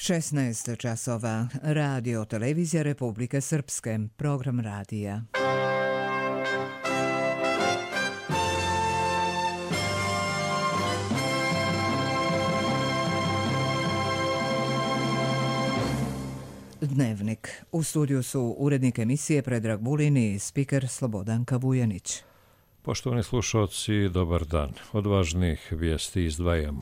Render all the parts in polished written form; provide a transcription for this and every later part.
16 časova. Radio Televizija Republike Srpske. Program radija. Dnevnik. U studiju su urednik emisije Predrag Vulin i spiker Slobodanka Vujanić. Poštovani slušalci, dobar dan. Od važnih vijesti izdvajamo.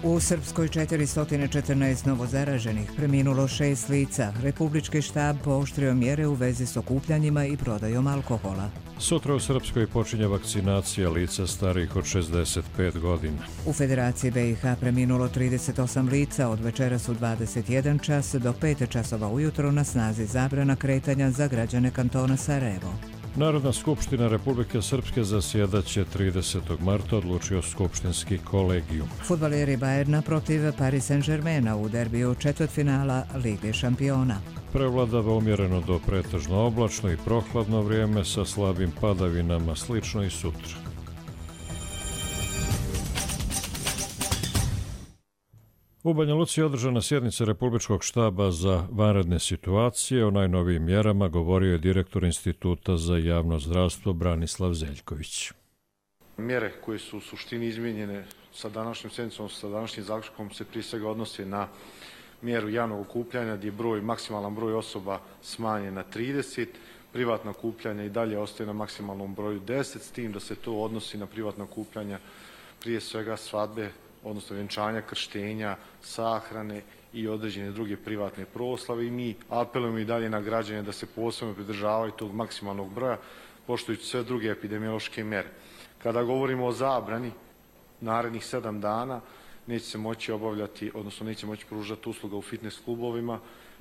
U Srpskoj 414 novozaraženih, preminulo 6 lica. Republički štab pooštrio mjere u vezi s okupljanjima i prodajom alkohola. Sutra u Srpskoj počinje vakcinacija lica starijih od 65 godina. U Federaciji BiH preminulo 38 lica, od večeras u 21 čas do 5 časova ujutro na snazi zabrana kretanja za građane kantona Sarajevo. Narodna skupština Republike Srpske zasjedaće 30. marta, odlučio skupštinski kolegijum. Fudbaleri Bayerna protiv Paris Saint-Germaina u derbiju četvrtfinala Lige šampiona. Prevladava umjereno do pretežno oblačno i prohladno vrijeme sa slabim padavinama, slično i sutra. U Banja Luci je održana sjednica Republičkog štaba za vanredne situacije. O najnovijim mjerama govorio je direktor Instituta za javno zdravstvo Branislav Zeljković. Mjere koje su u suštini izmijenjene sa današnjim sjednicom, sa današnjim zaključkom se prije svega odnose na mjeru javnog okupljanja gdje je maksimalan broj osoba smanjen na 30, privatna okupljanja i dalje ostaje na maksimalnom broju 10, s tim da se to odnosi na privatna okupljanja prije svega svadbe, odnosno vjenčanja, krštenja, sahrane i određene druge privatne proslave, i mi apelujemo i dalje na građane da se posebno pridržavaju tog maksimalnog broja, poštujući sve druge epidemiološke mjere. Kada govorimo o zabrani, narednih 7 dana neće se moći obavljati, odnosno neće moći pružati usluga u fitness klubovima,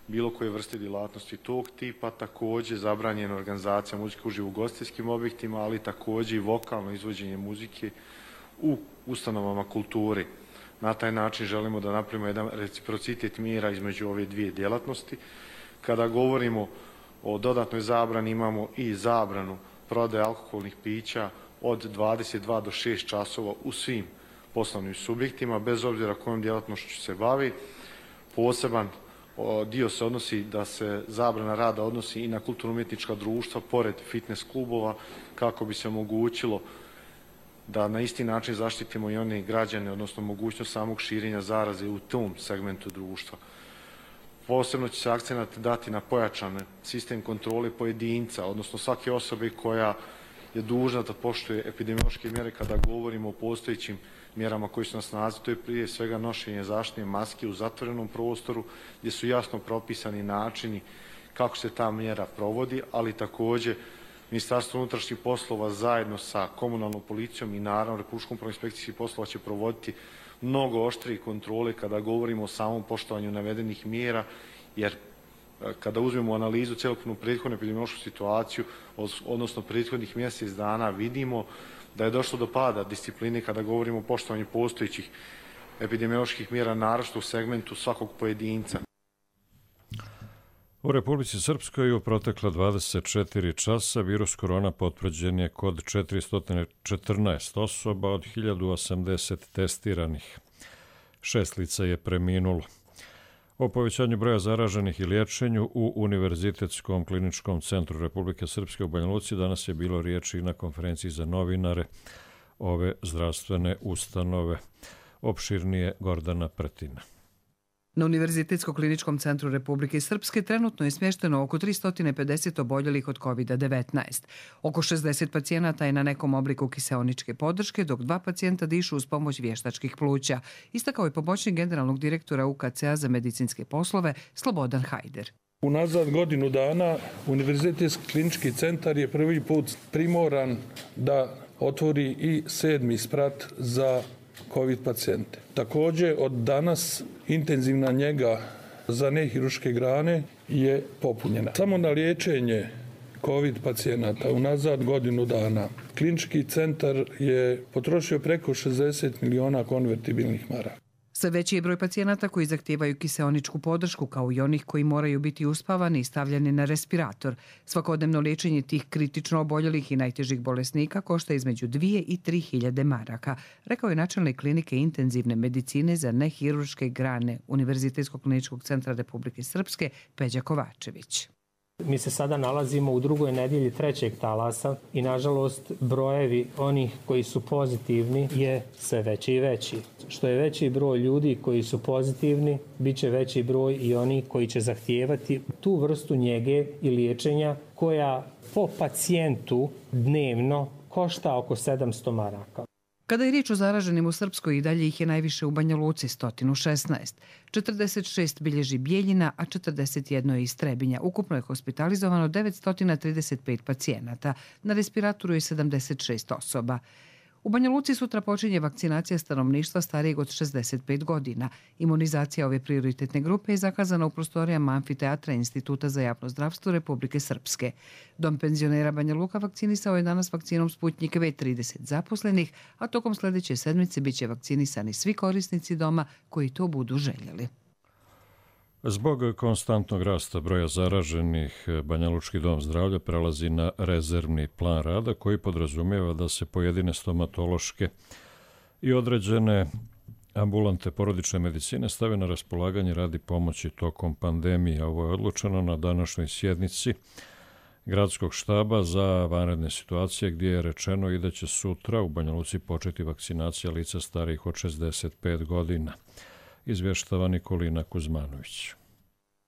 bilo koje vrste djelatnosti tog tipa, također zabranjena organizacija muzike uživo u ugostiteljskim objektima, ali također i vokalno izvođenje muzike u ustanovama kulture. Na taj način želimo da napravimo jedan reciprocitet mjera između ove dvije djelatnosti. Kada govorimo o dodatnoj zabrani, imamo i zabranu prodaje alkoholnih pića od 22 do 6 časova u svim poslovnim subjektima, bez obzira kojom djelatnošću se bavi. Poseban dio se odnosi da se zabrana rada odnosi i na kulturno-umjetnička društva pored fitness klubova, kako bi se omogućilo da na isti način zaštitimo i one građane, odnosno mogućnost samog širenja zaraze u tom segmentu društva. Posebno će se akcenat dati na pojačan sistem kontrole pojedinca, odnosno svake osobe koja je dužna da poštuje epidemiološke mjere. Kada govorimo o postojećim mjerama koji su na snazi, to je prije svega nošenje zaštitne maske u zatvorenom prostoru, gdje su jasno propisani načini kako se ta mjera provodi, ali također Ministarstvo unutrašnjih poslova zajedno sa komunalnom policijom i naravno Republičkom upravom inspekcijskih poslova će provoditi mnogo oštrije kontrole kada govorimo o samom poštovanju navedenih mjera, jer kada uzmemo analizu cjelokupnu prethodnu epidemiološku situaciju, odnosno prethodnih mjesec dana, vidimo da je došlo do pada discipline kada govorimo o poštovanju postojećih epidemioloških mjera, naročito u segmentu svakog pojedinca. U Republici Srpskoj u protekla 24 časa virus korona potvrđen je kod 414 osoba od 1080 testiranih. 6 lica je preminulo. O povećanju broja zaraženih i liječenju u Univerzitetskom kliničkom centru Republike Srpske u Banja Luci danas je bilo riječi i na konferenciji za novinare ove zdravstvene ustanove. Opširnije Gordana Pretina. Na Univerzitetskom kliničkom centru Republike Srpske trenutno je smješteno oko 350 oboljelih od COVID-19. Oko 60 pacijenata je na nekom obliku kiseoničke podrške, dok 2 pacijenta dišu uz pomoć vještačkih pluća, istakao je pomoćnik generalnog direktora UKC-a za medicinske poslove Slobodan Hajder. Unazad godinu dana Univerzitetski klinički centar je prvi put primoran da otvori i 7. sprat za COVID pacijente. Također od danas intenzivna njega za nehirurške grane je popunjena. Samo na liječenje COVID pacijenata unazad godinu dana klinički centar je potrošio preko 60 miliona konvertibilnih maraka. Sve veći je broj pacijenata koji zahtijevaju kiseoničku podršku, kao i onih koji moraju biti uspavani i stavljeni na respirator. Svakodnevno liječenje tih kritično oboljelih i najtežih bolesnika košta između 2 i 3 hiljade maraka, rekao je načelnik klinike intenzivne medicine za nehirurške grane Univerzitetskog kliničkog centra Republike Srpske Peđa Kovačević. Mi se sada nalazimo u drugoj nedjelji trećeg talasa i nažalost brojevi onih koji su pozitivni je sve veći i veći. Što je veći broj ljudi koji su pozitivni, bit će veći broj i oni koji će zahtijevati tu vrstu njege i liječenja koja po pacijentu dnevno košta oko 700 maraka. Kada je riječ o zaraženim u Srpskoj, i dalje ih je najviše u Banja Luci, 116. 46 bilježi Bijeljina, a 41 je iz Trebinja. Ukupno je hospitalizovano 935 pacijenata. Na respiratoru je 76 osoba. U Banja Luci sutra počinje vakcinacija stanovništva starijeg od 65 godina. Imunizacija ove prioritetne grupe je zakazana u prostorijama amfiteatra Instituta za javno zdravstvo Republike Srpske. Dom penzionera Banja Luka vakcinisao je danas vakcinom Sputnjik V 30 zaposlenih, a tokom sljedeće sedmice bit će vakcinisani svi korisnici doma koji to budu željeli. Zbog konstantnog rasta broja zaraženih, Banjalučki dom zdravlja prelazi na rezervni plan rada koji podrazumijeva da se pojedine stomatološke i određene ambulante porodične medicine stave na raspolaganje radi pomoći tokom pandemije. Ovo je odlučeno na današnjoj sjednici Gradskog štaba za vanredne situacije, gdje je rečeno i da će sutra u Banja Luci početi vakcinacija lica starijih od 65 godina. Izvještava Nikolina Kuzmanović.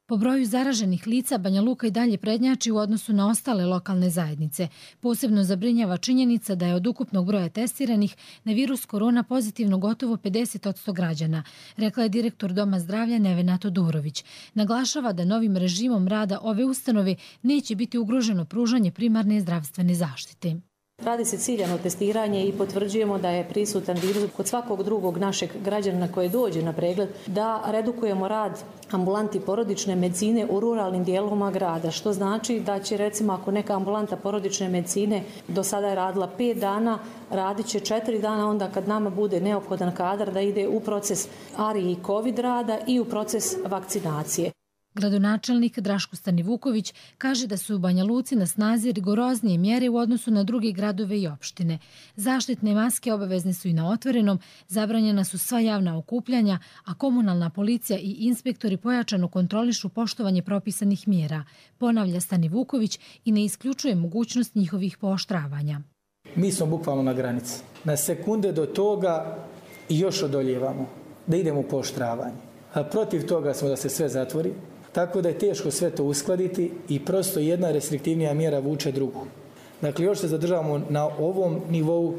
Po broju zaraženih lica Banja Luka i dalje prednjači u odnosu na ostale lokalne zajednice. Posebno zabrinjava činjenica da je od ukupnog broja testiranih na virus korona pozitivno gotovo 50% građana, rekla je direktor Doma zdravlja Nevena Todorović. Naglašava da novim režimom rada ove ustanove neće biti ugroženo pružanje primarne zdravstvene zaštite. Radi se ciljano testiranje i potvrđujemo da je prisutan virus kod svakog drugog našeg građanina koji dođe na pregled, da redukujemo rad ambulanti porodične medicine u ruralnim dijelovima grada, što znači da će, recimo, ako neka ambulanta porodične medicine do sada je radila 5 dana, radit će 4 dana onda kad nama bude neophodan kadar da ide u proces ARI i COVID rada i u proces vakcinacije. Gradonačelnik Draško Stanivuković kaže da su u Banja Luci na snazi rigoroznije mjere u odnosu na druge gradove i opštine. Zaštitne maske obavezne su i na otvorenom, zabranjena su sva javna okupljanja, a komunalna policija i inspektori pojačano kontrolišu poštovanje propisanih mjera, ponavlja Stanivuković i ne isključuje mogućnost njihovih pooštravanja. Mi smo bukvalno na granici. Na sekunde do toga i još odoljevamo da idemo u pooštravanje. A protiv toga smo da se sve zatvori. Tako da je teško sve to uskladiti i prosto jedna restriktivnija mjera vuče drugu. Dakle, još se zadržavamo na ovom nivou,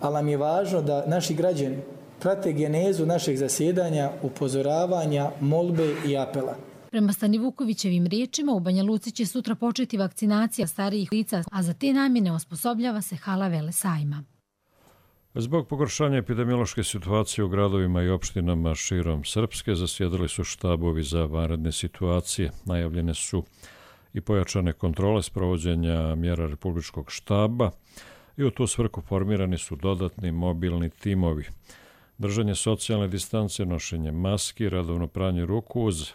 ali nam je važno da naši građani prate genezu našeg zasjedanja, upozoravanja, molbe i apela. Prema Stanivukovićevim riječima, u Banja Luci će sutra početi vakcinacija starijih lica, a za te namjene osposobljava se hala Velesajma. Zbog pogoršanja epidemiološke situacije u gradovima i opštinama širom Srpske zasjedali su štabovi za vanredne situacije. Najavljene su i pojačane kontrole sprovođenja mjera Republičkog štaba i u tu svrhu formirani su dodatni mobilni timovi. Držanje socijalne distance, nošenje maski, redovno pranje ruku uz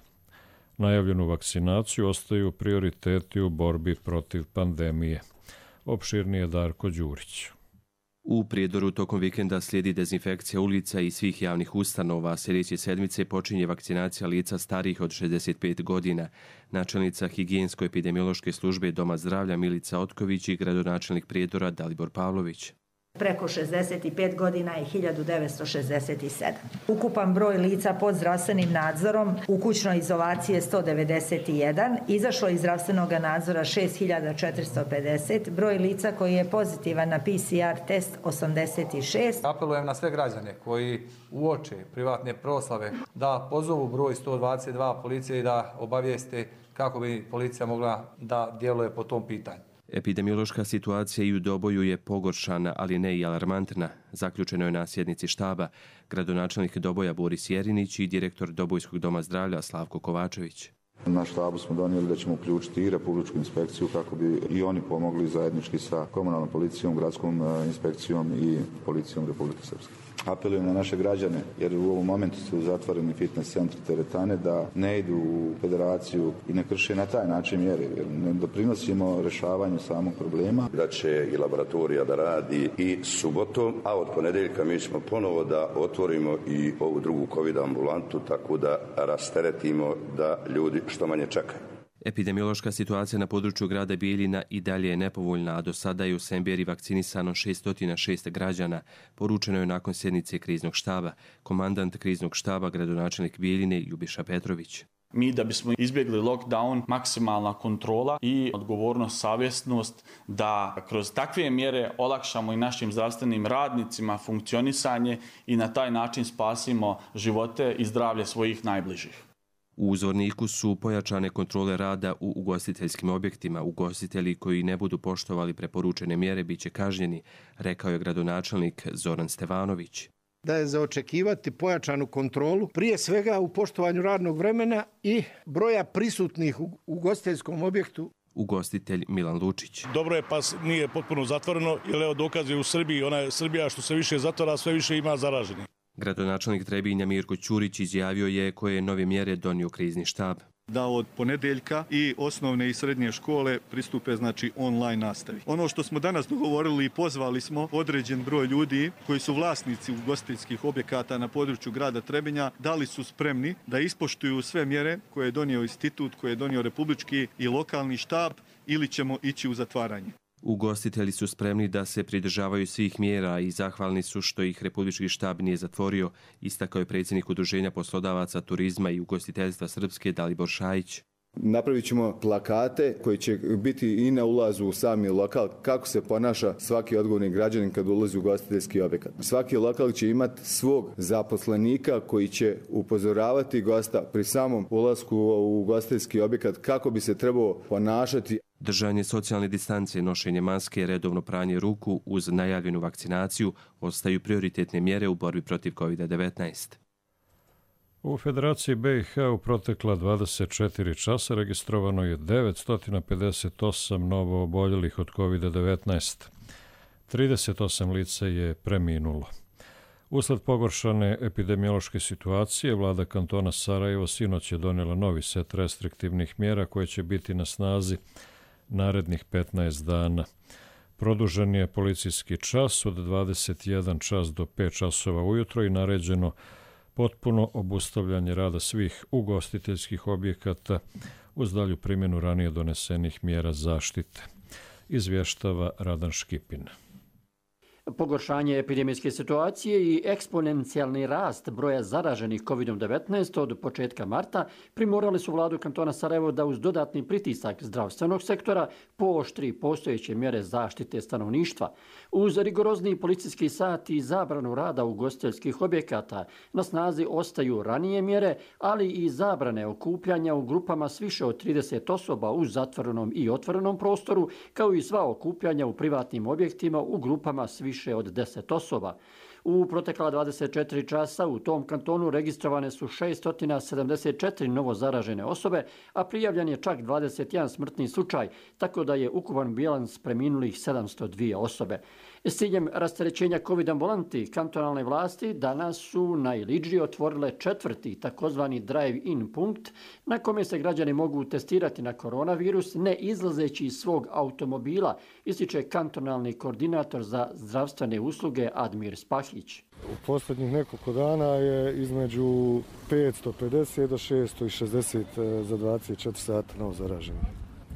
najavljenu vakcinaciju ostaju prioriteti u borbi protiv pandemije. Opširnije Darko Đurić. U Prijedoru tokom vikenda slijedi dezinfekcija ulica i svih javnih ustanova. Sljedeće sedmice počinje vakcinacija lica starijih od 65 godina. Načelnica higijensko-epidemiološke službe Doma zdravlja Milica Otković i gradonačelnik Prijedora Dalibor Pavlović. Preko 65 godina je 1967. Ukupan broj lica pod zdravstvenim nadzorom u kućnoj izolaciji je 191, izašlo iz zdravstvenog nadzora 6450, broj lica koji je pozitivan na PCR test 86. Apelujem na sve građane koji uoče privatne proslave da pozovu broj 122 policije i da obavijeste kako bi policija mogla da djeluje po tom pitanju. Epidemiološka situacija i u Doboju je pogoršana, ali ne i alarmantna. Zaključeno je na sjednici štaba gradonačelnik Doboja Boris Jerinić i direktor Dobojskog doma zdravlja Slavko Kovačević. Na štabu smo donijeli da ćemo uključiti i Republičku inspekciju kako bi i oni pomogli zajednički sa komunalnom policijom, gradskom inspekcijom i policijom Republike Srpske. Apelujem na naše građane, jer u ovom momentu su zatvoreni fitness centri, teretane, da ne idu u federaciju i ne krše na taj način mjere, jer ne doprinosimo rješavanju samog problema. Da će i laboratorija da radi i subotom, a od ponedjeljka mi ćemo ponovo da otvorimo i ovu drugu COVID ambulantu, tako da rasteretimo da ljudi što manje čekaju. Epidemiološka situacija na području grada Bijeljina i dalje je nepovoljna, a do sada je u Semberi vakcinisano 606 građana, poručeno je nakon sjednice kriznog štaba. Komandant kriznog štaba, gradonačelnik Bijeljine Ljubiša Petrović. Mi da bismo izbjegli lockdown, maksimalna kontrola i odgovornost, savjesnost da kroz takve mjere olakšamo i našim zdravstvenim radnicima funkcionisanje i na taj način spasimo živote i zdravlje svojih najbližih. U uzorniku su pojačane kontrole rada u ugostiteljskim objektima. Ugostitelji koji ne budu poštovali preporučene mjere biće kažnjeni, rekao je gradonačelnik Zoran Stevanović. Da je za očekivati pojačanu kontrolu, prije svega u poštovanju radnog vremena i broja prisutnih u ugostiteljskom objektu. Ugostitelj Milan Lučić. Dobro je, pas nije potpuno zatvoreno, jer evo dokaz je u Srbiji, ona je Srbija što se više zatvara, sve više ima zaraženih. Gradonačelnik Trebinja Mirko Ćurić izjavio je koje je nove mjere donio krizni štab. Da od ponedjeljka i osnovne i srednje škole pristupe online nastavi. Ono što smo danas dogovorili i pozvali smo određen broj ljudi koji su vlasnici ugostiteljskih objekata na području grada Trebinja, da li su spremni da ispoštuju sve mjere koje je donio institut, koje je donio republički i lokalni štab, ili ćemo ići u zatvaranje. Ugostitelji su spremni da se pridržavaju svih mjera i zahvalni su što ih republički štab nije zatvorio, istakao je predsjednik Udruženja poslodavaca turizma i ugostiteljstva Srpske Dalibor Šajić. Napravit ćemo plakate koji će biti i na ulazu u sami lokal kako se ponaša svaki odgovorni građanin kad ulazi u ugostiteljski objekat. Svaki lokal će imati svog zaposlenika koji će upozoravati gosta pri samom ulasku u ugostiteljski objekat kako bi se trebao ponašati. Držanje socijalne distance, nošenje maske, redovno pranje ruku uz najavljenu vakcinaciju ostaju prioritetne mjere u borbi protiv COVID-19. U Federaciji BiH u protekla 24 časa registrovano je 958 novo oboljelih od COVID-19. 38 lica je preminulo. Usled pogoršane epidemiološke situacije, vlada kantona Sarajevo sinoć je donijela novi set restriktivnih mjera koje će biti na snazi narednih 15 dana. Produžen je policijski čas od 21 čas do 5 časova ujutro i naređeno potpuno obustavljanje rada svih ugostiteljskih objekata uz dalju primjenu ranije donesenih mjera zaštite. Izvještava Radan Škipin. Pogoršanje epidemijske situacije i eksponencijalni rast broja zaraženih COVID-19 od početka marta primorali su vladu kantona Sarajevo da uz dodatni pritisak zdravstvenog sektora pooštri postojeće mjere zaštite stanovništva. Uz rigorozni policijski sat i zabranu rada ugostiteljskih objekata na snazi ostaju ranije mjere, ali i zabrane okupljanja u grupama s više od 30 osoba u zatvorenom i otvorenom prostoru, kao i sva okupljanja u privatnim objektima u grupama s više od 10 osoba. U protekla 24 časa u tom kantonu registrovane su 674 novo zaražene osobe, a prijavljen je čak 21 smrtni slučaj, tako da je ukupan bilans preminulih 702 osobe. S ciljem rasterećenja COVID ambulanti, kantonalne vlasti danas su na Iliđi otvorile četvrti takozvani drive-in punkt na kome se građani mogu testirati na koronavirus ne izlazeći iz svog automobila, ističe kantonalni koordinator za zdravstvene usluge Admir Spahić. U posljednjih nekoliko dana je između 550 do 660 za 24 sata novo zaraženih.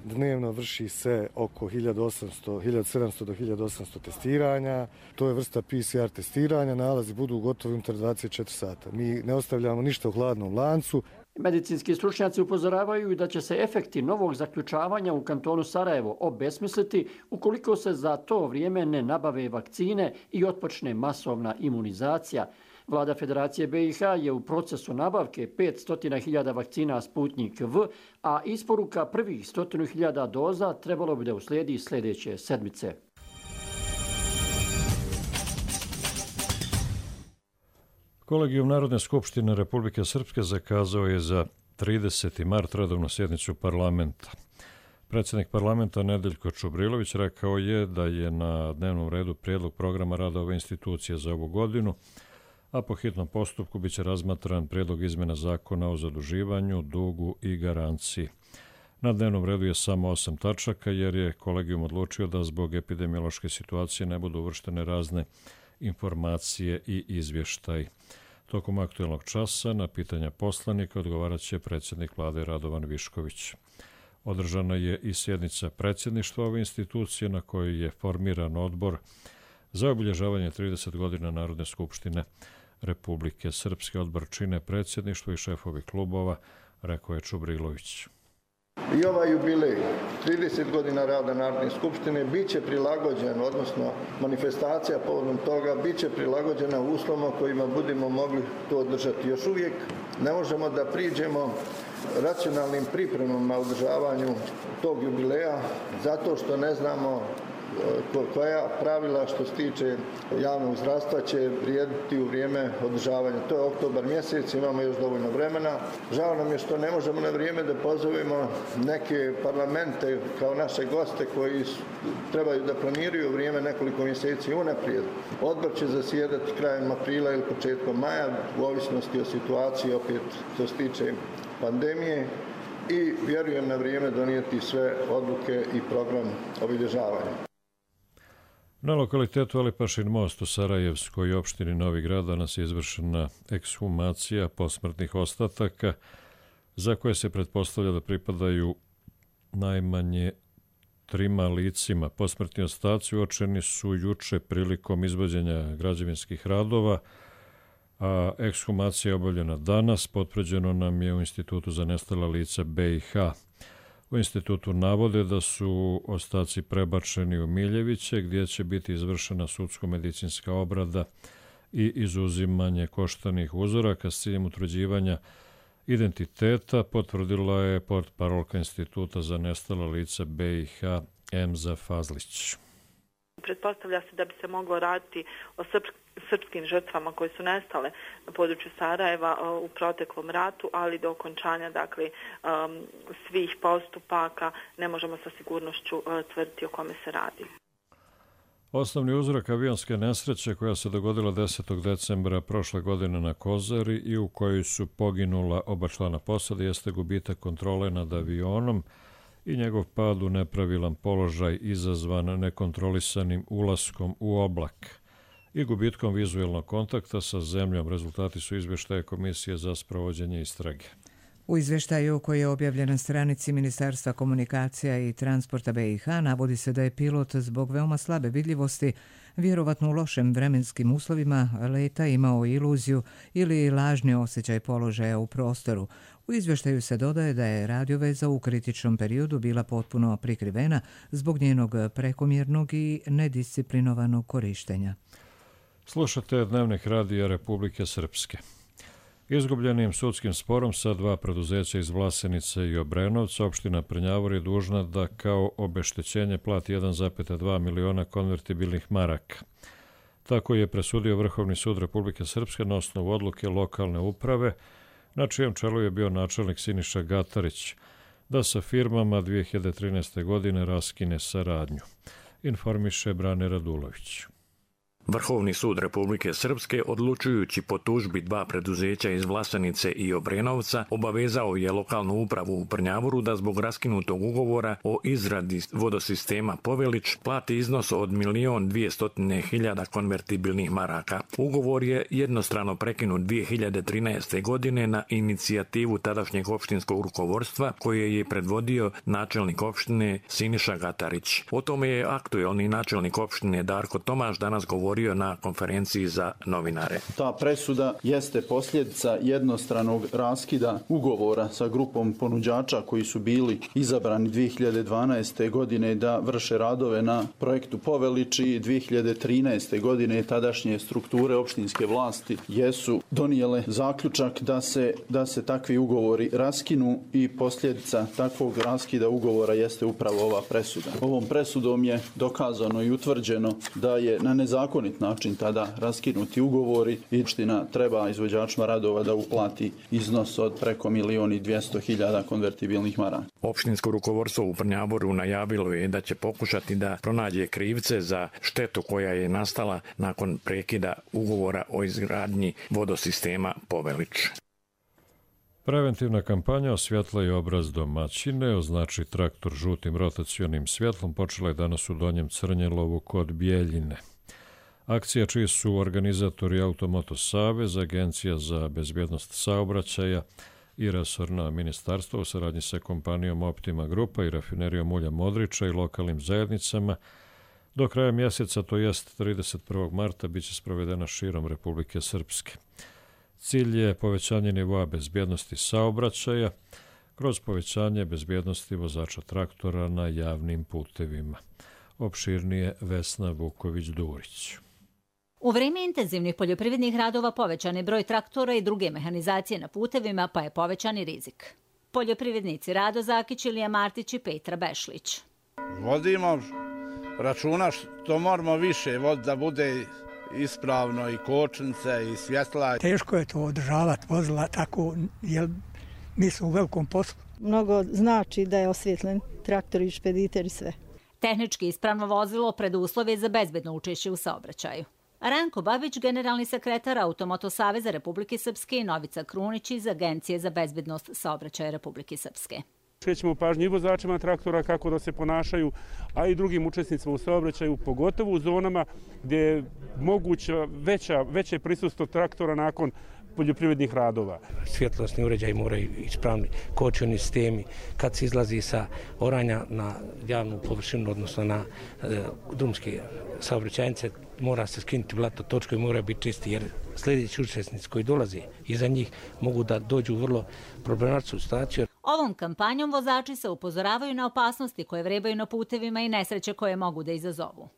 Dnevno vrši se oko 1700 do 1800 testiranja. To je vrsta PCR testiranja. Nalazi budu gotovi unutar 24 sata. Mi ne ostavljamo ništa u hladnom lancu. Medicinski stručnjaci upozoravaju da će se efekti novog zaključavanja u kantonu Sarajevo obesmisliti ukoliko se za to vrijeme ne nabave vakcine i otpočne masovna imunizacija. Vlada Federacije BiH je u procesu nabavke 500.000 vakcina Sputnik V, a isporuka prvih 100.000 doza trebalo bi da uslijedi sljedeće sedmice. Kolegijum Narodne skupštine Republike Srpske zakazao je za 30. mart redovnu sjednicu parlamenta. Predsjednik parlamenta Nedeljko Čubrilović rekao je da je na dnevnom redu prijedlog programa rada ove institucije za ovu godinu, a po hitnom postupku biće razmatran prijedlog izmjena zakona o zaduživanju, dugu i garanciji. Na dnevnom redu je samo 8 tačaka jer je kolegijum odlučio da zbog epidemiološke situacije ne budu uvrštene razne informacije i izvještaj. Tokom aktualnog časa na pitanja poslanika odgovarat će predsjednik vlade Radovan Višković. Održana je i sjednica predsjedništva ove institucije na kojoj je formiran odbor za obilježavanje 30 godina Narodne skupštine Republike Srpske. Odbor čine predsjedništvo i šefovi klubova, rekao je Čubrilović. I ovaj jubilej, 30 godina rada Narodne skupštine, bit će prilagođen, odnosno manifestacija povodom toga, bit će prilagođena uslovima kojima budemo mogli to održati. Još uvijek ne možemo da priđemo racionalnim pripremama održavanju tog jubileja, zato što ne znamo koja pravila što se tiče javnog zdravstva će vrijediti u vrijeme održavanja. To je oktobar mjesec, imamo još dovoljno vremena. Žao nam je što ne možemo na vrijeme da pozovemo neke parlamente kao naše goste koji trebaju da planiraju vrijeme nekoliko mjeseci unaprijed. Odbor će zasjedati krajem aprila ili početkom maja, u ovisnosti o situaciji opet što se tiče pandemije, i vjerujem na vrijeme donijeti sve odluke i program obilježavanja. Na lokalitetu Alipašin most u Sarajevskoj opštini Novi Grad danas je izvršena ekshumacija posmrtnih ostataka za koje se pretpostavlja da pripadaju najmanje 3 licima. Posmrtni ostaci uočeni su juče prilikom izvođenja građevinskih radova, a ekshumacija je obavljena danas, potvrđeno nam je u Institutu za nestala lica BiH. U institutu navode da su ostaci prebačeni u Miljeviće, gdje će biti izvršena sudsko-medicinska obrada i izuzimanje koštanih uzoraka s ciljem utvrđivanja identiteta, potvrdila je portparolka Instituta za nestala lica BiH Emza Fazlić. Pretpostavlja se da bi se moglo raditi o srpskim žrtvama koje su nestale na području Sarajeva u proteklom ratu, ali do okončanja svih postupaka ne možemo sa sigurnošću tvrditi o kome se radi. Osnovni uzrok avionske nesreće koja se dogodila 10. decembra prošle godine na Kozari i u kojoj su poginula oba člana posade jeste gubitak kontrole nad avionom i njegov pad u nepravilan položaj izazvan nekontrolisanim ulaskom u oblak i gubitkom vizuelnog kontakta sa zemljom. Rezultati su izvještaje Komisije za sprovođenje istrage. U izvještaju koji je objavljen na stranici Ministarstva komunikacija i transporta BiH navodi se da je pilot zbog veoma slabe vidljivosti, vjerovatno u lošim vremenskim uslovima leta, imao iluziju ili lažni osjećaj položaja u prostoru. U izvještaju se dodaje da je radioveza u kritičnom periodu bila potpuno prikrivena zbog njenog prekomjernog i nedisciplinovanog korištenja. Slušate Dnevnik radija Republike Srpske. Izgubljenim sudskim sporom sa 2 preduzeća iz Vlasenice i Obrenovca, opština Prnjavor je dužna da kao obeštećenje plati 1,2 miliona konvertibilnih maraka. Tako je presudio Vrhovni sud Republike Srpske na osnovu odluke lokalne uprave, na čijem čelu je bio načelnik Siniša Gatarić, da sa firmama 2013. godine raskine saradnju, informiše Brane Radulović. Vrhovni sud Republike Srpske, odlučujući po tužbi 2 preduzeća iz Vlasenice i Obrenovca, obavezao je lokalnu upravu u Prnjavoru da zbog raskinutog ugovora o izradi vodosistema Povelić plati iznos od 1.200.000 konvertibilnih maraka. Ugovor je jednostrano prekinut 2013. godine na inicijativu tadašnjeg opštinskog rukovodstva koje je predvodio načelnik opštine Siniša Gatarić. O tome je aktuelni načelnik opštine Darko Tomaš danas govorio na konferenciji za novinare. Ta presuda jeste posljedica jednostranog raskida ugovora sa grupom ponuđača koji su bili izabrani 2012. godine da vrše radove na projektu Povelić i 2013. godine tadašnje strukture opštinske vlasti jesu donijele zaključak da se takvi ugovori raskinu i posljedica takvog raskida ugovora jeste upravo ova presuda. Ovom presudom je dokazano i utvrđeno da je na nezakonit zakonit način tada raskinuti ugovori i opština treba izvođačima radova da uplati iznos od preko 1.200.000 konvertibilnih maraka. Opštinsko rukovodstvo u Prnjavoru najavilo je da će pokušati da pronađe krivce za štetu koja je nastala nakon prekida ugovora o izgradnji vodosistema Povelić. Preventivna kampanja Osvjetla i obraz domaćine, označi traktor žutim rotacionim svjetlom, počela je danas u Donjem Crnjelovu kod Bijeljine. Akcija čiji su organizatori Automoto Savez, Agencija za bezbjednost saobraćaja i resorna ministarstva u saradnji sa kompanijom Optima Grupa i rafinerijom ulja Modriča i lokalnim zajednicama, do kraja mjeseca, to jest 31. marta, bit će sprovedena širom Republike Srpske. Cilj je povećanje nivoa bezbjednosti saobraćaja kroz povećanje bezbjednosti vozača traktora na javnim putevima. Opširnije Vesna Vuković-Durić. U vrijeme intenzivnih poljoprivrednih radova povećan je broj traktora i druge mehanizacije na putevima, pa je povećan i rizik. Poljoprivrednici Rado Zakić, Ilija Martić i Petra Bešlić. Vodimo računa što moramo više da bude ispravno i kočnice i svjetla. Teško je to održavati vozila tako, jer mi smo u velikom poslu. Mnogo znači da je osvjetljen traktor i špediter i sve. Tehnički ispravno vozilo preduslov je za bezbedno učešće u saobraćaju. Ranko Babić, generalni sekretar Automoto Saveza Republike Srpske, i Novica Krunić iz Agencije za bezbednost saobraćaja Republike Srpske. Skrećemo pažnju i vozačima traktora kako da se ponašaju, a i drugim učesnicima u saobraćaju, pogotovo u zonama gdje je moguće veće prisustvo traktora nakon poljoprivrednih radova. Svjetlosni uređaj moraju ispravni, kočioni sistemi. Kad se izlazi sa oranja na javnu površinu, odnosno na drumske saobraćajnice, mora se skinuti blato, točkovi moraju biti čisti, jer sljedeći učesnici koji dolaze iza njih mogu da dođu u vrlo problematičnu situaciju. Ovom kampanjom vozači se upozoravaju na opasnosti koje vrebaju na putevima i nesreće koje mogu da izazovu.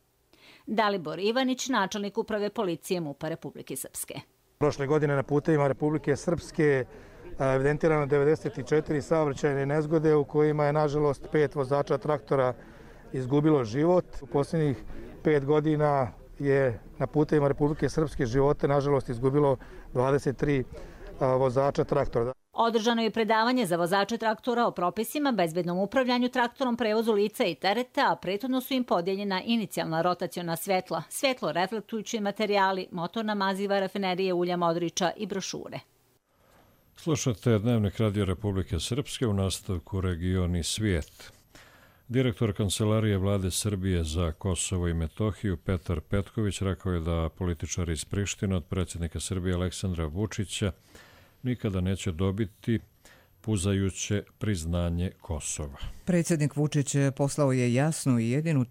Dalibor Ivanić, načelnik uprave policije MUP-a Republike Srpske. Prošle godine na putevima Republike Srpske evidentirano 94 saobraćajne nezgode u kojima je nažalost 5 vozača traktora izgubilo život. U posljednjih 5 godina je na putevima Republike Srpske živote nažalost izgubilo 23 vozača traktora. Održano je predavanje za vozače traktora o propisima, bezbednom upravljanju traktorom, prevozu lica i tereta, a prethodno su im podijeljena inicijalna rotaciona svjetla, svjetlo reflektujući materijali, motorna maziva rafinerije ulja Modriča i brošure. Slušate Dnevnik Radio Republike Srpske, u nastavku Region i svijet. Direktor Kancelarije Vlade Srbije za Kosovo i Metohiju Petar Petković rekao je da političari iz Prištine od predsjednika Srbije Aleksandra Vučića nikada neće dobiti puzajuće priznanje Kosova. Predsjednik Vučić poslao je jasnu i jedinu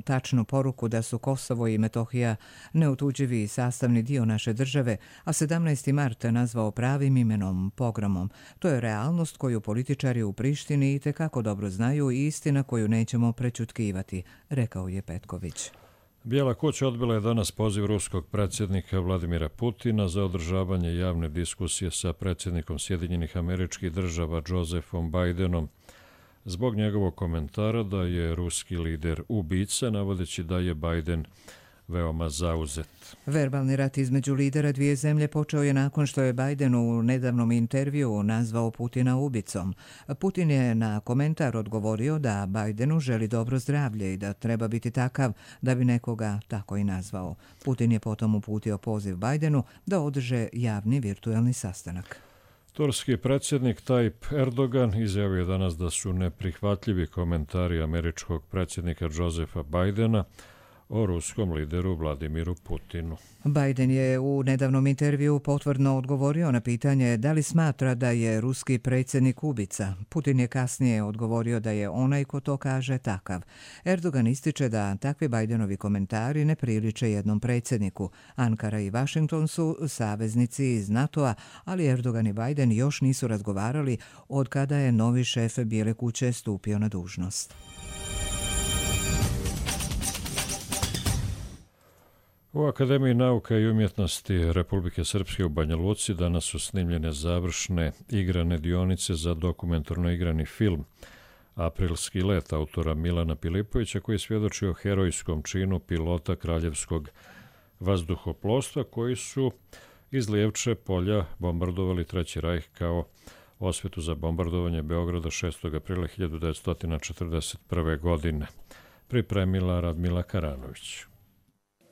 tačnu poruku da su Kosovo i Metohija neotuđivi i sastavni dio naše države, a 17. marta nazvao pravim imenom pogromom. To je realnost koju političari u Prištini itekako dobro znaju i istina koju nećemo prećutkivati, rekao je Petković. Bijela kuća odbila je danas poziv ruskog predsjednika Vladimira Putina za održavanje javne diskusije sa predsjednikom Sjedinjenih Američkih Država Josefom Bidenom zbog njegovog komentara da je ruski lider ubica, navodeći da je Biden veoma zauzet. Verbalni rat između lidera dvije zemlje počeo je nakon što je Biden u nedavnom intervjuu nazvao Putina ubicom. Putin je na komentar odgovorio da Bidenu želi dobro zdravlje i da treba biti takav da bi nekoga tako i nazvao. Putin je potom uputio poziv Bidenu da održe javni virtualni sastanak. Turski predsjednik Tayyip Erdogan izjavio danas da su neprihvatljivi komentari američkog predsjednika Josefa Bidena o ruskom lideru Vladimiru Putinu. Biden je u nedavnom intervju potvrdno odgovorio na pitanje da li smatra da je ruski predsjednik ubica. Putin je kasnije odgovorio da je onaj ko to kaže takav. Erdogan ističe da takvi Bidenovi komentari ne priliče jednom predsjedniku. Ankara i Washington su saveznici iz NATO-a, ali Erdogan i Biden još nisu razgovarali od kada je novi šef Bijele kuće stupio na dužnost. U Akademiji nauka i umjetnosti Republike Srpske u Banja Luci danas su snimljene završne igrane dionice za dokumentarno igrani film Aprilski let autora Milana Pilipovića, koji svjedoči o herojskom činu pilota kraljevskog vazduhoplovstva koji su iz Lijevče polja bombardovali Treći rajh kao osvetu za bombardovanje Beograda 6. aprila 1941. godine. Pripremila Radmila Karanović.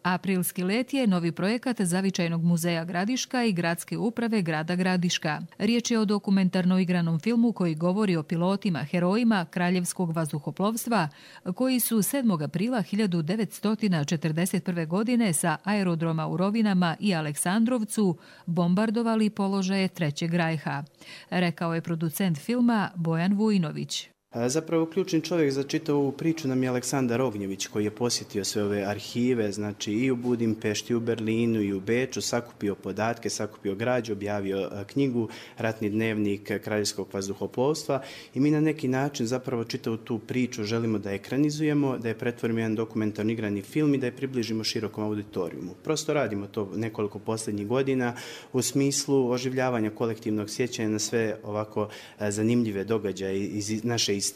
Aprilski let je novi projekat Zavičajnog muzeja Gradiška i Gradske uprave grada Gradiška. Riječ je o dokumentarno igranom filmu koji govori o pilotima, herojima Kraljevskog vazduhoplovstva koji su 7. aprila 1941. godine sa aerodroma u Rovinama i Aleksandrovcu bombardovali položaje Trećeg rajha. Rekao je producent filma Bojan Vujnović. Zapravo ključni čovjek za čitavu priču nam je Aleksandar Ognjević koji je posjetio sve ove arhive, znači i u Budimpešti, i u Berlinu, i u Beču, sakupio podatke, sakupio građu, objavio knjigu Ratni dnevnik Kraljevskog vazduhoplovstva i mi na neki način zapravo čitavu tu priču želimo da ekranizujemo, da je pretvorimo jedan dokumentarni igrani film i da je približimo širokom auditorijumu. Prosto radimo to nekoliko posljednjih godina u smislu oživljavanja kolektivnog sjećanja na sve ovako zanimljive događaje iz naše istorije.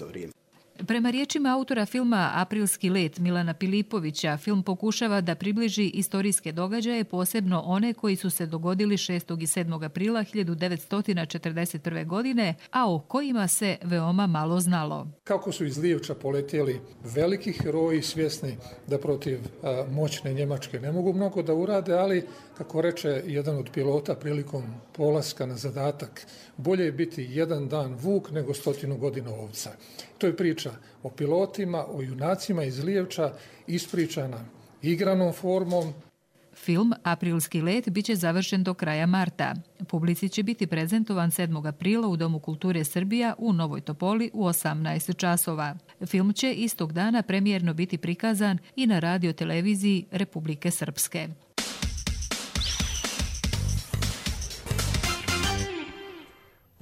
Prema riječima autora filma Aprilski let Milana Pilipovića, film pokušava da približi istorijske događaje, posebno one koji su se dogodili 6. i 7. aprila 1941. godine, a o kojima se veoma malo znalo. Kako su iz Lijevča poletjeli veliki heroji, svjesni da protiv moćne Njemačke ne mogu mnogo da urade, ali, kako reče jedan od pilota prilikom polaska na zadatak, bolje je biti jedan dan vuk nego 100 godina ovca. To je priča o pilotima, o junacima iz Lijevča, ispričana igranom formom. Film Aprilski let biće završen do kraja marta. Publici će biti prezentovan 7. aprila u Domu kulture Srbija u Novoj Topoli u 18 časova. Film će istog dana premijerno biti prikazan i na radioteleviziji Republike Srpske.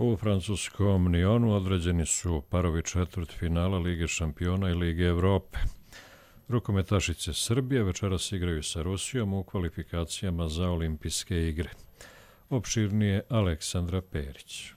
U francuskom Nyonu određeni su parovi četvrtfinala Lige šampiona i Lige Evrope. Rukometašice Srbije večeras igraju sa Rusijom u kvalifikacijama za olimpijske igre. Opširnije Aleksandra Perić.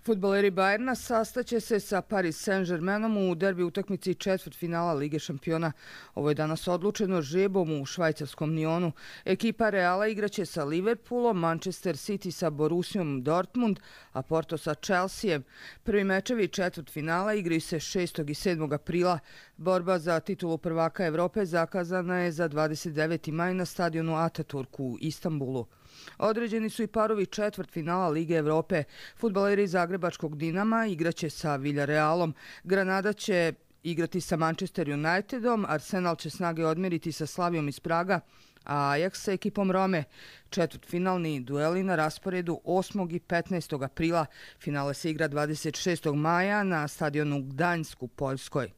Fudbaleri Bajerna sastaće se sa Paris Saint-Germainom u derbi utakmici četvrtfinala Lige šampiona. Ovo je danas odlučeno žrebom u švajcarskom Nyonu. Ekipa Reala igraće sa Liverpoolom, Manchester City sa Borussiom Dortmund, a Porto sa Chelseaem. Prvi mečevi četvrtfinala igraju se 6. i 7. aprila. Borba za titulu prvaka Evrope zakazana je za 29. maj na stadionu Ataturk u Istanbulu. Određeni su i parovi četvrtfinala Lige Evrope. Fudbaleri Zagrebačkog Dinama igraće sa Villarrealom. Granada će igrati sa Manchester Unitedom, Arsenal će snage odmeriti sa Slavijom iz Praga, a Ajax sa ekipom Rome. Četvrtfinalni dueli na rasporedu 8. i 15. aprila. Finale se igra 26. maja na stadionu Gdanjsk u Poljskoj.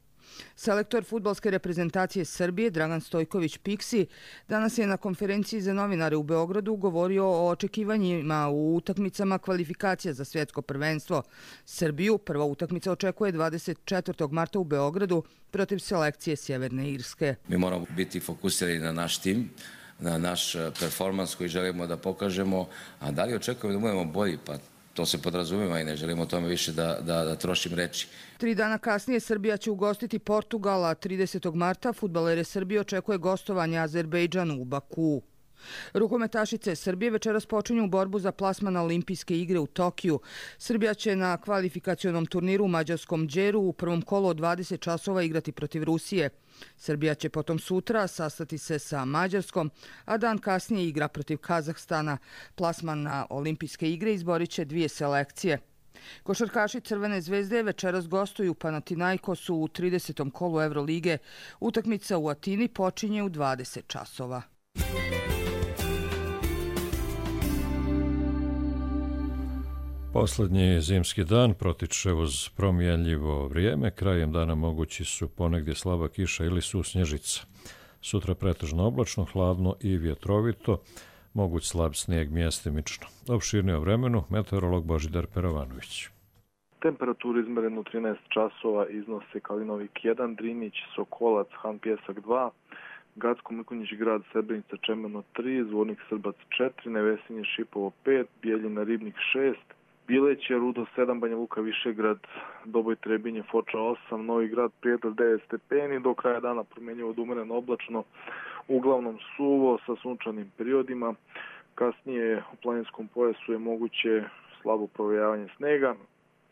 Selektor fudbalske reprezentacije Srbije Dragan Stojković Piksi danas je na konferenciji za novinare u Beogradu govorio o očekivanjima u utakmicama kvalifikacija za svjetsko prvenstvo. Srbiju prva utakmica očekuje 24. marta u Beogradu protiv selekcije Sjeverne Irske. Mi moramo biti fokusirani na naš tim, na naš performans koji želimo da pokažemo, a da li očekujemo da budemo bolji, pa to se podrazumijeva i ne želimo o tome više da trošim reči. 3 dana kasnije Srbija će ugostiti Portugala. 30. marta fudbalere Srbije očekuje gostovanje Azerbejdžanu u Bakuu. Rukometašice Srbije večeras počinju borbu za plasman na olimpijske igre u Tokiju. Srbija će na kvalifikacionom turniru u mađarskom Đeru u prvom kolu od 20 časova igrati protiv Rusije. Srbija će potom sutra sastati se sa Mađarskom, a dan kasnije igra protiv Kazahstana. Plasman na olimpijske igre izborit će 2 selekcije. Košarkaši Crvene zvezde večeras gostuju Panathinaikosu u 30. kolu Evrolige. Utakmica u Atini počinje u 20 časova. Poslednji zimski dan protiče uz promijenljivo vrijeme. Krajem dana mogući su ponegdje slaba kiša ili susnježica. Sutra pretežno oblačno, hladno i vjetrovito, moguć slab snijeg mjestimično. Opširnije o vremenu, meteorolog Božidar Perovanović. Temperaturu izmerenu 13 časova iznose Kalinovik 1, Drinić, Sokolac, Han Pjesak 2, Gacko Mrkonjić grad Srebrenica Čemeno 3, Zvornik Srbac 4, Nevesinje Šipovo 5, Bijeljina Ribnik 6, Bileće, Rudo 7, Banja Luka, Višegrad, Doboj, Trebinje, Foča 8, Novi Grad, Prijedor 9 stepeni, do kraja dana promjenjivo od umereno oblačno, uglavnom suvo sa sunčanim periodima. Kasnije u planinskom pojasu je moguće slabo provejavanje snega.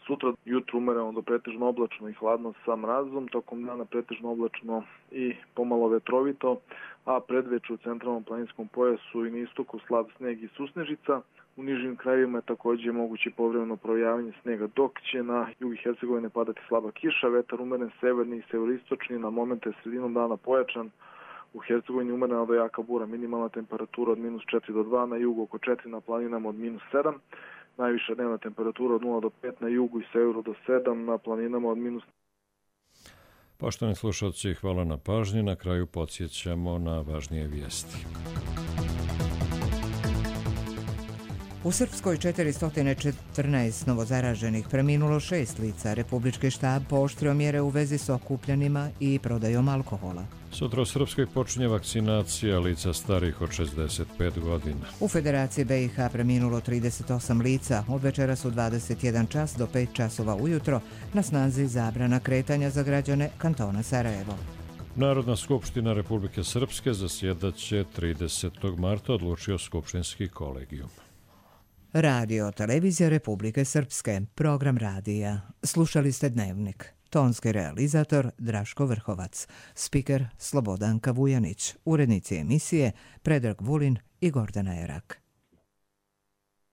Sutra jutro umereno do pretežno oblačno i hladno sa mrazom, tokom dana pretežno oblačno i pomalo vetrovito, a predveče u centralnom planinskom pojasu i na istoku slab sneg i susnežica. U nižim krajevima je također moguće povremeno provejavanje snega, dok će na jugu Hercegovine padati slaba kiša, vetar umeren severni i severistočni, na momente sredinom dana pojačan. U Hercegovini umerena do jaka bura, minimalna temperatura od -4 do 2, na jugu oko 4, na planinama od -7. Najviša dnevna temperatura od 0 do 5, na jugu i severu do 7, na planinama od -. Poštovani slušalci, hvala na pažnji. Na kraju podsjećamo na važnije vijesti. U Srpskoj 414 novozaraženih, preminulo 6 lica. Republički štab pooštrio mjere u vezi s okupljanima i prodajom alkohola. Sutra u Srpskoj počinje vakcinacija lica starih od 65 godina. U Federaciji BiH preminulo 38 lica. Od večera su 21 čas do 5 časova ujutro na snazi zabrana kretanja za građane kantona Sarajevo. Narodna skupština Republike Srpske zasjedaće 30. marta, odlučio skupštinski kolegijum. Radio Televizija Republike Srpske, program radija. Slušali ste Dnevnik. Tonski realizator Draško Vrhovac, spiker Slobodanka Vujanić, urednici emisije Predrag Vulin i Gordana Erak.